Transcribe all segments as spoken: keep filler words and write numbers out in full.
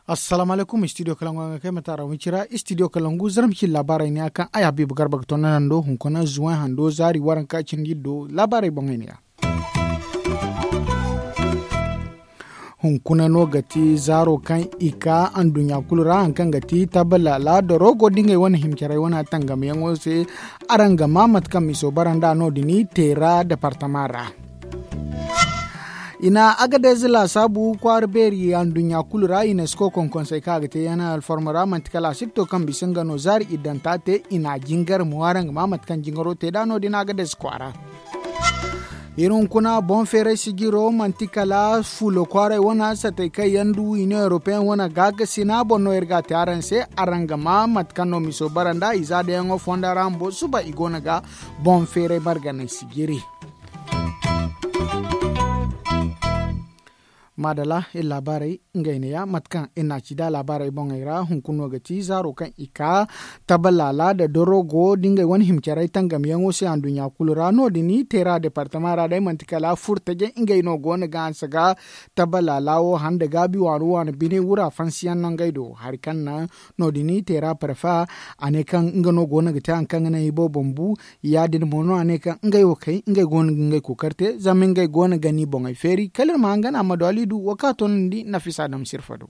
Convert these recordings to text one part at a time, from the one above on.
Assalaamu alaykum, istidiyo kalangu a ga kay mate a ra wicira istidiyo kalangu zarma cindi laabaarey ne ya kaŋ ay habiibu garba ga tonda nando hunkuna zuway hando zaari waranka cindi do laabaarey boŋey ne ya. Hunkuna no ga ti zaaro kaŋ i ka anduɲɲa kulu ra hari kaŋ ga ti tabalaala da rogo da ngey wane himcaray wane tangamyaŋo se. Araŋ ga ma mate kaŋ miso bara nd'a no- din teera departama ra. I na agadez laasaabu kwaara beeri anduɲɲa kulu ra i na si koy konkonsey kaŋ a ga te yana alfarma ra manti kala a si ga to kaŋ bisa nga no zaari iddanta te i na jingar mo araŋ ga ma mate kaŋ jingaro te nd'a no- din agadez kwaara. Iri hunkuna boŋ feeray sijiro manti kala fulo kwaaray wane satay kaŋ yaŋ du iniyoŋ europeyaŋ wane gaakasina boŋ no iri ga a te araŋ se. Araŋ ga ma mate kaŋ no miso bara nd'a i za dayaŋo fondo ra bumbo suba i go no ga boŋ feeray marganay sijiri. Maadala iri laabaarey ngey ne ya mate kaŋ iri n'a ci da laabaarey boŋey ra hunkuna no ga ti zaaro kaŋ i ka tabalaala nda dorogo da ngey wane himcaray tangamyaŋo se anduɲɲa kulu ra no- din teera departama ra day manti kala furtajey ngey no go no ga hanse ga tabalaala wo handa gaabi waano waano bine wura fansiyaŋ no ngey do hari kaŋ naŋ no- din teera parfa a ne kaŋ nga no go no ga te hari kaŋ ga naŋ i boobo ma bu. Ya- din mo no a ne kaŋ ngey wo kay ngey go no ga ngey kookari te zama ngey go no ga ni boŋey feeri kala iri ma hangan a ma du aliidu wo kaŋ a toonandi nafisa dam sirfa do.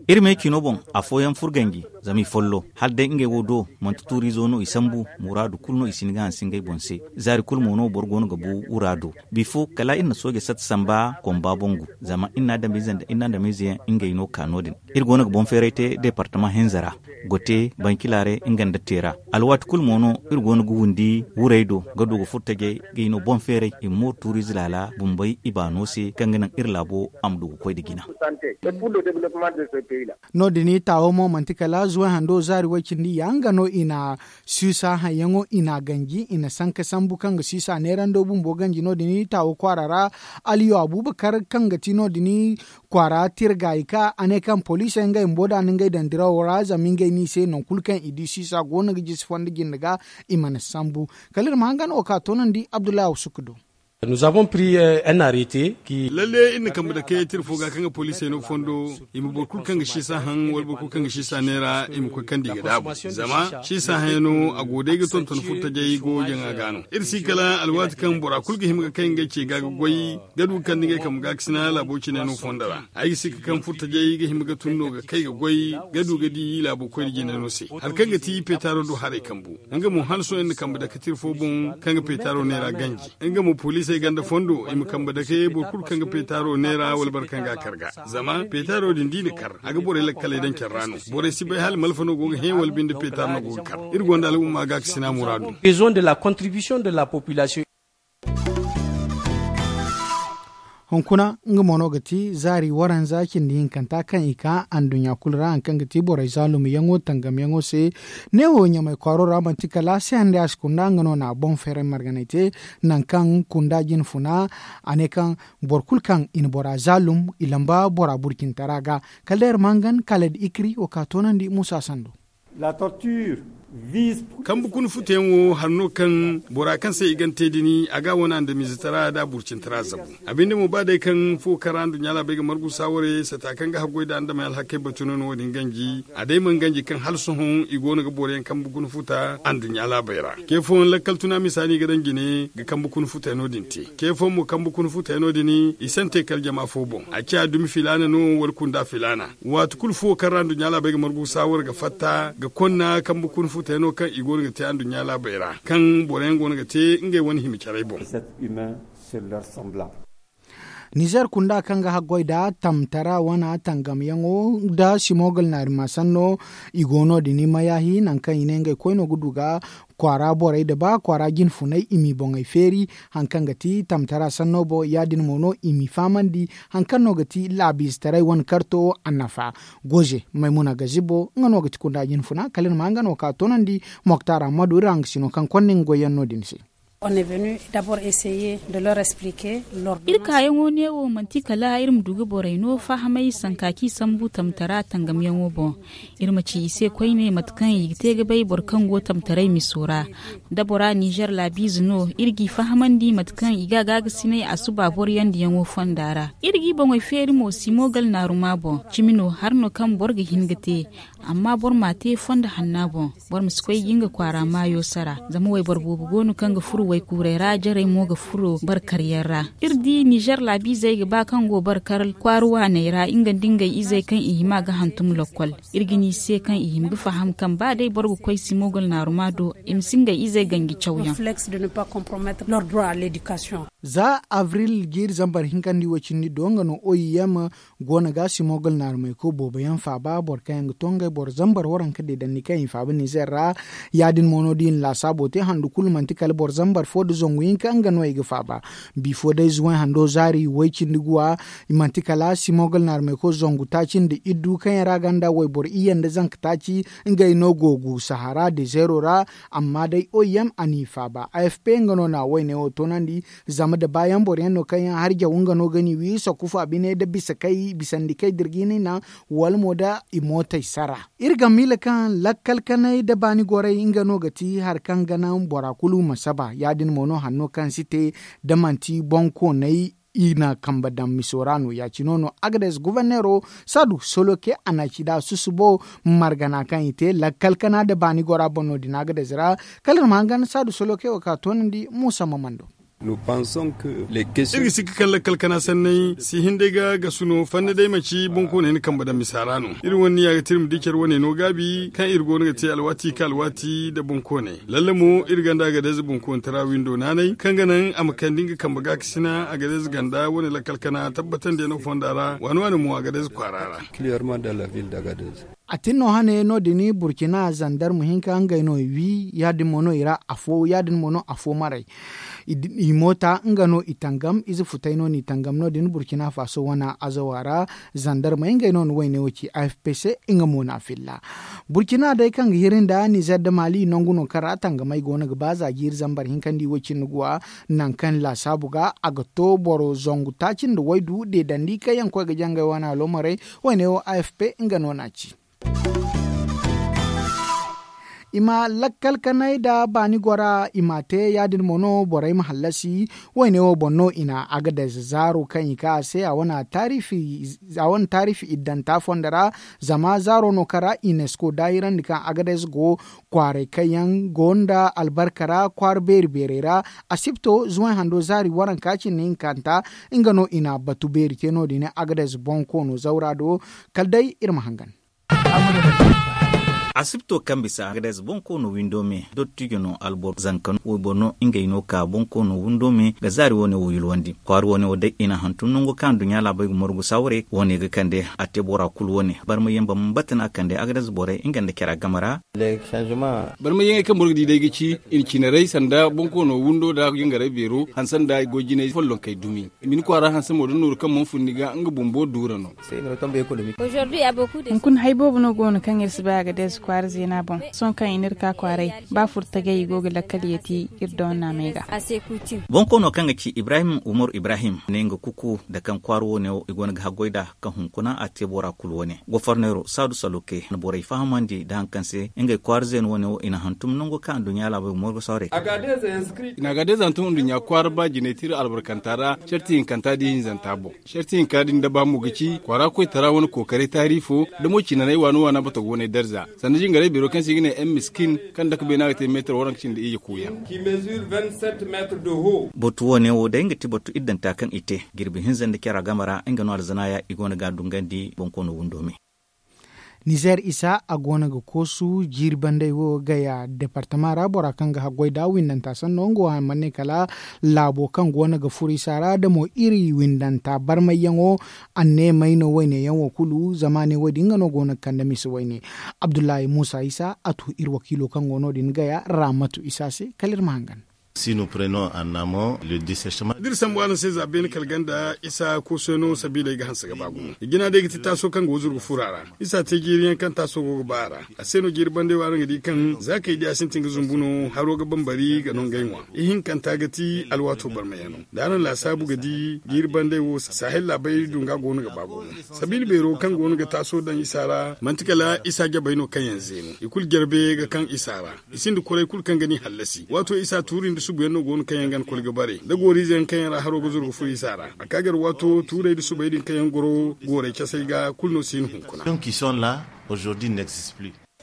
Iri me cino boŋ afooyaŋ furo ganji zama i follo hala day ngey wo do manti tuuriizo no i sambu muraadu kulu no i si hin ga hanse ngey boŋ se. Zaari kulu mo no boro go no ga bu wura do bifo kala iri na sooje satta samba komba boŋ gu zama iri na adamize nda iri na adamize yaŋ ngey no ka no- din. Iri go no ga boŋ feeray te departama hinza ra gote bankilaaray nga nda teera alwaati kulu mo no iri go no ga windi wurey do ga du ga furo tajey ga i no boŋ feeray i ma mooru tuuriize laala bumbey i baano se kaŋ ga naŋ iri laabo a ma du ga koy nda jina. No- din taawo mo manti kala zuway hando zaari way cindi ya nga no i na siisa hayyaŋo i na a ganji i na sanka sambu kaŋ ga siisa neerando bumbo ganji no- din taawo kwaara ra. Aliyo abuubakar kaŋ ga ti no- din kwaara tirga i ka a ne kaŋ poliisey ngey bumbo da a na ngey daŋ dirawo ra zama ngey no i se nangu kulu kaŋ i di siisa go no ga jisi fondo jinde ga i mana sambu. Kala iri ma hangan wo ka toonandi abdullahi awsuku do. Lalle iri na kambe dake tira fo ga kaŋ ga poliisey no fondo i ma boro kulu kaŋ ga siisa haŋ wala boro kulu kaŋ ga siisa neera i ma koy kaŋ da i ga daabu zama siisa haŋ yaŋ no a go day ga tonton furtajey go jaŋa ga no iri si kala alwaati kaŋ bora kulu ga hima ga kay ngey ce ga ga goy ga du ga kande ngey kambe ga ga sina laabo cine no fondo ra. Ay ga si ga kaŋ furtajey ga hima ga tun no ga kay ga goy ga du ga di laabo koyne jine no se hari kaŋ ga ti peetaaro do haray kambu. Nga mo hala sohõ iri na kambe dake tira fo boŋ kaŋ ga peetaaro neera ganji nga mo poliisey ganda fondo i ma kambe dake boro kulu kaŋ ga peetaaro neera wala boro kaŋ ga a kar ga zama peetaaro din da i na kar a ga borey lakkaley daŋ care ra no. Borey si bay hala malfa no go ga hẽ wala binde peetaaro no go ga kar. Iri gonda al'umma ga ga sina muraadu. Hunkuna nga mo no ga ti zaari waranza cindi hinkanta kaŋ i ka anduɲɲa kulu ra hari kaŋ ga ti borey zaalumyaŋo tangamyaŋo se. Neewo ɲamay kwaaro ra manti kala se hande a si kunda nga no na boŋ feeray marganay te. Nangu kaŋ kunda jine funa a ne kaŋ boro kulu kaŋ i na bora zaalum i lamba bora burcintara ga. Kala day iri ma hangan kala da ikiri wo ka toonandi muusa sando. Kambe kuna futa yaŋ wo hari no kaŋ bora kaŋ se i gana te din a ga a wane andamiizatara nda a burcintara zabu. A binde mo ba day kaŋ fuwo kaŋ ra anduɲɲa laabey ga margu saawaray sata kaŋ ga haggoy nda andamey alhakey batu no no wo- din ganji a day mana ganji kaŋ hala sohõ i go no ga boro yaŋ kambe kuna futa anduɲɲa laabey ra. Ce fooyaŋ lakkal tuna misa no i ga daŋ jine ga kambe kuna futa yaŋ no- din te. Ce fooyaŋ mo kambe kuna futa yaŋ no- din i sante kala jama fo boŋ a ciya dumi filaana no wala kunda filaana. Waati kulu fuwo kaŋ ra anduɲɲa laabey ga margu saawar ga fatta ga konna kambe kuna futa yaŋ no kaŋ i go no ga te anduɲɲa laabey ra kaŋ boro yaŋ go no ga te ngey wane hima carey boŋ. Nizer kunda kaŋ ga haggoy nda tamtara wana tangamyaŋo nda simogol naari ma sanno i go no- din mayaahi nangu kaŋ i ne ngey koyno ga du ga kwaara borey nda ba kwaara jine funay i m'i boŋey feeri. Hari kaŋ ga ti tamtara sanno boŋ ya- din mo no i m'i fahamandi hari kaŋ no ga ti laabiizetaray wane karto annafa. Goze maymuna gazibo nga no ga ti kunda jine funa kala iri ma nga no ka toonandi. Moktar ammadu iri hangasino kaŋ konda nga goyyaŋ no- din se. Iri kaayaŋo neewo manti kala iri ma du ga borey no fahamay sanka kaŋ i sambu tamtara tangamyaŋo boŋ. Iri ma ci i se koyne mate kaŋ i ga te ga bay boro kaŋ go tamtaray miso ra. Da bora nizer laabiize no, iri g'i fahamandi mate kaŋ i ga a gaagasinay a suba boro yandiyaŋo fonda ra. Iri g'i boŋey feeri mo simogal naaruma boŋ. Cimi no hari no kaŋ boro ga hin ga te. Amma boro m'a te fondo hanna boŋ. Boro ma si koy ga nga kwaara maayo sara. Zama wayboro boobo go no kaŋ ga furo waykuurey ra jarey mo ga furo barkaryaŋ ra. Iri di nizer laabiizey ga ba kaŋ go barkar kwaara waaney ra nga nda ngey izey kaŋ i hima ga hantum lokkol. Iri ga ne i se kaŋ i hima ga faham kaŋ ba day boro ga koy simogol naaruma do, i ma si ngey izey ganji cawyaŋ. Za abril jiiri zambar hinkandi wo cindi do nga no oim go no ga simogol naarumay ko boobo yaŋ faaba boro kaŋ yaŋ ga to ngey boro zambar waranka deedandi kaŋ i faaba nizer ra. Ya- din mo no da i na laasaabo te handu kulu manti kala boro zambar fo nda zangu hinka nga no i ga faaba. Bifo day zuway hando zaari way cindi guwa. I manti kala simogol naarumay ko zangu taaci nda iddu kaŋ yaŋ ra ganda wayboro iyye nda zanka taaci. Ngey no go gu sahara dezeero ra. Amma day oim a n'i faaba afp nga no na wayne wo toonandi. Zama da baayaŋ boro yaŋ no kaŋ yaŋ hari jaw nga no ga n'i wi sakufa bine da bisa kay bisandi kay dirgini naŋ. Wala mo da i mootey sara. Iri ga miila kaŋ lakkal kanay da baani goray nga no ga ti hari kaŋ ga naŋ bora kulu ma saba ya- din mo no hanno kaŋ si te da manti boŋkoonay. I na kambe daŋ miso ra no ya- cine no agades goborneero saadu soloke a na ci da susubo margana kaŋ i te lakkal kana nda baani gora boŋ no- din agades ra. Kala iri ma hangan saadu soloke wo ka toonandi muusa ma mando. Iri ga sikka kaŋ lakkal kana sanney si hin day ga gasu no fanni day manti boŋkooney na kambe daŋ misa ra no. Iri wane niya ga te iri ma di care wane no gaabi kaŋ iri go no ga te alwaati ka alwaati nda boŋkooney. Lalle mo iri gonda agades boŋkoonetara windo naanay kaŋ ga naŋ a ma kande nga kambe gaakasina agades ganda wane lakkal kana tabbatandiyaŋo fonda ra waani waani mo agades kwaara ra. A tin no hane no- din burkina zandarma hinka ngey no i wi ya- din mo no i ra afo ya- din mo no afo maray. I moota nga no i tangam ize futay no n'i tangam no- din burkina faso wane azawa ra. Zandarmey ngey no na wayne wo ci afp se nga mo na filla. Burkina day kaŋ ga hiri nda nizer nda maali nangu no kaŋ ra tangamey go no ga ba za jiiri zambar hinkandi wo cindi guwa. Nangu kaŋ laasaabu ga a ga to boro zangu taaci nda waydu deedandi kaŋ yaŋ koy ga jangay wane alomaray. Wayne wo afp nga no na ci. I ma lakkal kanay nda baani gora i m'a te ya- din mo no borey ma hallasi. Wayne wo boŋ no i na agades zaaro kaŋ i ka a se a wane taarifi iddanta fondo ra. Zama zaaro no kaŋ ra unesco daahirandi kaŋ agades go kwaaray kaŋ yaŋ go nda albarka ra kwaara beeri beerey ra. Asibto zuway hando zaari waranka cindi hinkanta nga no i na batu beeri te no- din agades boŋ koono zawra do. Kala day iri ma hangan. Asibto kaŋ bisa agades boŋ koono windo me dottijo no alboro zanka no wayboro no ngey no ka boŋ koono windo me ga zaari wane wo yulwandi kwaara wane wo day i na hantum nango kaŋ aduɲɲa laabey ga morgu sawre wane ga kande a te bora kulu wane barma yamba ma batana kande agades borey nga nda care game ra. Barma yaŋey kaŋ boro ga di day ga ci i na cinaray sanda boŋ koono windo nda jingaray beero hanse nda goy jinay follonkey dumi. I ma ni kwaara hanse mo da nooru kaŋ mana fun ni ga nga bumbo duura no. Hunkuna hay boobo no go no kaŋ iri si bay agades kwaara zeena boŋ. Sohõ kaŋ i n'iri ka kwaaray ba furtagay i go ga lakkal yeeti iri doona me ga. Boŋ koono kaŋ ga ci ibrahim umaru ibrahim ne nga kuku nda kaŋ kwaara wane wo i go no ga haggoy nd'a kaŋ hunkuna a te bora kulu wane goforneero saadu saloke na borey fahamandi nda hari kaŋ se ngey kwaara zeena wane wo i na hantum nango kaŋ aduɲɲa laabey ga morgo sawrey. I na agades hantum aduɲɲa kwaara ba jinay tira albarkanta ra sarti hinkanta da ihinzanta boŋ. Sarti hinka din da ba mo ga ci kwaara koytara wane kookaray taari fo da mo cinanay waana waana batogo wane darza sanda jingaray beero kaŋ se i ga ne m miskin kaŋ dake beena ga te meetar waranka cindi iyye kuuyaŋ. Batu wane wo day nga ti batu iddanta kaŋ i te jirbi hinza nda care game ra nga no alzanaaya i go no ga a dungandi boŋ koono windo me. Nizer isa a go no ga koosu jiiri bandey wo gaya departama ra bora kaŋ ga haggoy nd'a windanta sanno nga wo haŋ mana ne kala laabo kaŋ go no ga furo isa ra da mo iri windanta barmayyaŋo. Anneemey no wayne yaŋ wo kulu zama ne wo- din nga no go no ga kande mise wayne. Abdullahi muusa isa a tu iri wakiilo kaŋ go no- din gaya raamatu isa se kala iri ma hangan. Si nous prenons en amont le dessèchement. D'iri sambu araŋ se za beene kala ganda isa koosoyaŋo sabiila ay ga hanse ga ba gumo i jina day ga ti taaso kaŋ go ga zuru ga furo a ra. Isa te jiiri yaŋ kaŋ taaso go ga ba a ra. A se no jiiri bande wo araŋ ga di kaŋ za kaŋ i di a sintin ga zumbu no haro ga bambari ga no ngey ŋwa. Ihinkanta ga ti alwaato barmayaŋo da araŋ laasaabu ga di jiiri bande wo sahel laabey dunga go no ga ba gumo. Sabiila beero kaŋ go no ga taaso daŋ isa ra manti kala isa jabey no kaŋ yaŋ zeenu i kulu jarbe ga kaŋ isa ra. I sinda kuray kulu kaŋ ga ni hallasi waato isa tuuri nda subuyaŋ no go no kaŋ yaŋ ga ni koy ga bare da gooriize yaŋ kaŋ yaŋ ra haro ga zuru ga furo isa ra a ka gar waato tuurey nda subey din kaŋ yaŋ goro gooray casey ga kulu no si hin hunkuna.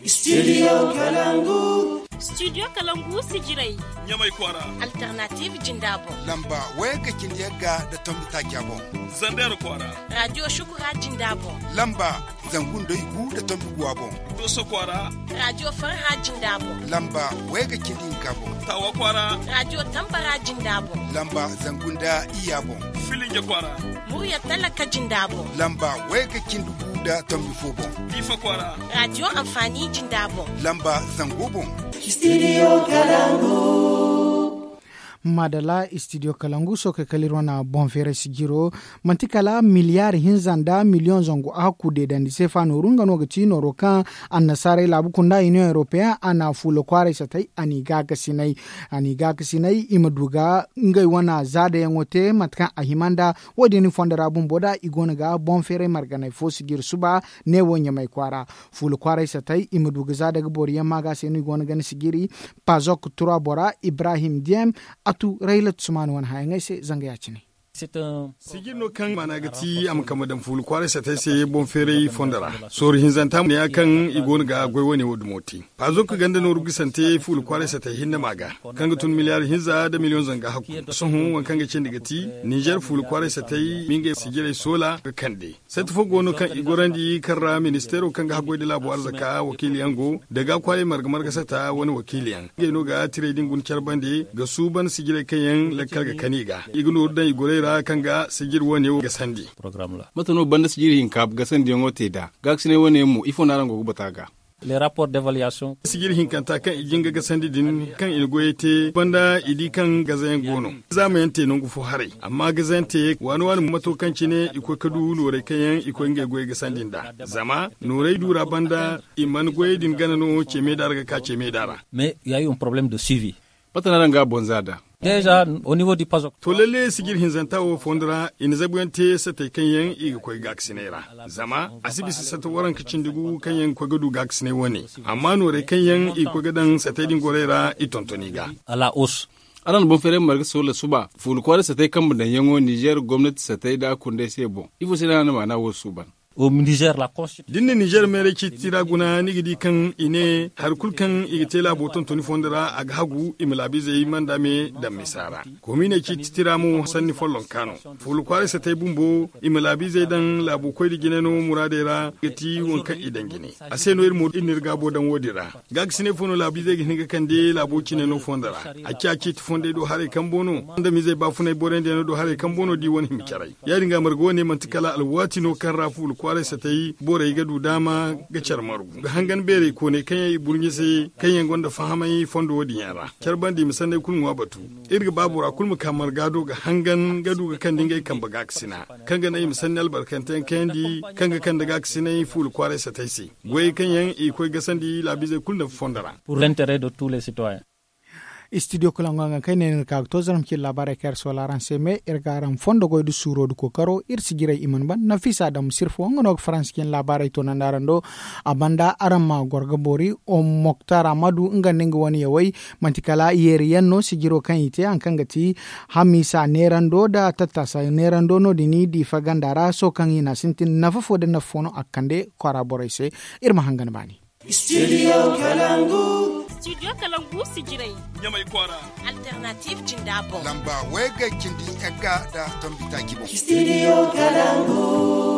Studio kalangu. Studio kalangu sijirey. Ɲamay kwaara. Alternative jinda boŋ. Lamba wayga cindi yagga nda tombi taaca boŋ. Zander kwaara. Radio shukura jinda boŋ. Lamba zangu nda igu nda tombi guwa boŋ. Doso kwaara. Radio farha jinda boŋ. Lamba wayga cindi hinka boŋ. Tawa kwaara. Radio tambara jinda boŋ. Lamba zangu nda iya boŋ. Filinge kwaara. Murya talaka jinda boŋ. Lamba wayga cindi gu nda tombi fo boŋ. Diifa kwaara. Radio amfani jinda boŋ. Lamba zango boŋ. Studio kalangu. Madala studio kalangu sookey kala iri wane boŋ feeray sijiro. Manti kala miliyaari hinza nda miliyoŋ zangu a hakku deedandi seefa nooru nga no ga ti nooro kaŋ annasaarey laabu kunda union european a na fuula kwaaray satay a n'i gaakasinay. A n'i gaakasinay i ma du ga ngey wane zaadayaŋo te mate kaŋ a hima nda wo- din fondo ra bumbo da i go no ga boŋ feeray marganay fo sijiri suba. Ne wo ɲamay kwaara fuula kwaaray satay i ma du ga za daga boro yaŋ ma ga se no i go no ga ni sijiri. Pazok tura bora ibrahim diyem. A tu raylat sumaana wane hayaŋey se zanga ya- cine. Sijiri no kaŋ maana ga ti a ma kambe daŋ fuula kwaaray satay se boŋ feeray fondo ra. Sooru hinzanta mo ne ya kaŋ i go no ga goy wane wo dumo te. Pazok ganda nooru gisante fuula kwaaray satay hinne ma ga kaŋ ga tun miliyaari hinza nda miliyoŋ zanga hakku. Sohõ waŋ kaŋ ga cindi ga ti ninzeer fuula kwaaray satay ma ngey sijirey soola ga kande. Sati fo go no kaŋ i gorandi kaŋ ra ministeero kaŋ ga haggoy nda laabo arzaka wakiiliyaŋ go da ga kwaaray marga marga sata wane wakiiliyaŋ ngey no ga tiray din guna care bande ga suuban sijirey kaŋ yaŋ lakkal ga kani i ga i ga nooru daŋ i gorey ra kaŋ ga sijir wane wo gasandi. Mate no banda sijiri hinka gasandiyaŋo te nd'a gaakasinay wane yaŋ mo ifo no araŋ go ga batu a ga? Sijiri hinkanta kaŋ i jin ga gasandi din kaŋ i na goyey te banda i di kaŋ gazayaŋ go no. Zaamayaŋ te nangu fo haray amma gazayaŋ te waani waani mato kaŋ cine i koy ga du noorey kaŋ yaŋ i koy ngey goyey gasandi nd'a. Zama noorey du ra banda i mana goyey din gana no ce meeda ra ga ka ce meeda ra. Mais ya yo un problème de suivi. Mate no araŋ ga a boŋ za nd'a? To lalle sijir hinzanta wo fondo ra i na zabuyaŋ te satey kaŋ yaŋ i ga koy gaakasinay ra. Zama a si bisa sata waranka cindi gu kaŋ yaŋ ga koy ga du gaakasinay wane. Amma noorey kaŋ yaŋ i ga koy ga daŋ satey din gorey ra i tonton i ga. Araŋ na boŋ feeray marga soola suba fuula kwaaray satey kambe daŋyaŋo ninzeer gomnati satey nda kundey se boŋ ifo se no a na maana wo suuban? Da ni na ninzeer meeray ciiti ra guna ni ga di kaŋ i ne hari kulu kaŋ i ga te laabo tontoni fondo ra a ga hagu i ma laabiizey manda me daŋ misa ra. Komiiney ciiti ra mo sanni follonka no. Fuula kwaaray satey bumbo i ma laabiizey daŋ laabo koy nda jine no muraadey ra ga ti waŋ kaŋ i daŋ jine. A se no iri mo iri na iri gaabo daŋ wo- din ra. Gaakasinay fo no laabiizey ga hin ga kande laabo cine no fondo ra. A ciya ciiti fondey do haray kambo no. Andamizey baafunay borey nda yaŋ no do haray kambo no da i wane hima caray. Ya- din ga marga wane manti kala alwaati no kaŋ ra fuula kwaaray satay borey ga du daama ga care margu ga hangan beerey kooney kaŋ yaŋ i burɲe se kaŋ yaŋ gonda fahamay fondo wo- din yaŋ ra care banda i ma sanney kulu ŋwa batu. Iri ga ba bora kulu ma ka marga do ga hangan ga du ga kande ngey kambe gaakasina kaŋ ga naŋ i ma sanni albarkante yaŋ kayandi kaŋ ga kande gaakasinay fuula kwaaray satay se. Goyey kaŋ yaŋ i ga koy gasandi laabiizey kulu nafa fondo ra. Studio kulaŋo haŋ kaŋ ay ne no iri ka ga to zarma cine laabaarey kaŋ iri soola araŋ se me iri ga araŋ fondo goy nda suuro nda kookaro iri si jiray i mana ban nafisa daŋ ma sirfa wo nga no ga faransa cine laabaarey toonandi araŋ do. A banda araŋ ma goro ga boori. Moktar amadu nga nda nga wane yawey manti kala yeeri yaŋ no sijiro kaŋ i te haŋ kaŋ ga ti hamisa neerando nda tattasa neerando no- din diifa ganda ra sohõ kaŋ i na sintin nafa fo nda nafa fo no a ga kande kwaara borey se. Iri ma hangan baani. Studio kalangu. Studio kalangu sijirey ɲamay kwaara. Alternative jinda boŋ lamba wayga cindi yagga nda tombi taaci boŋ. Studio kalangu.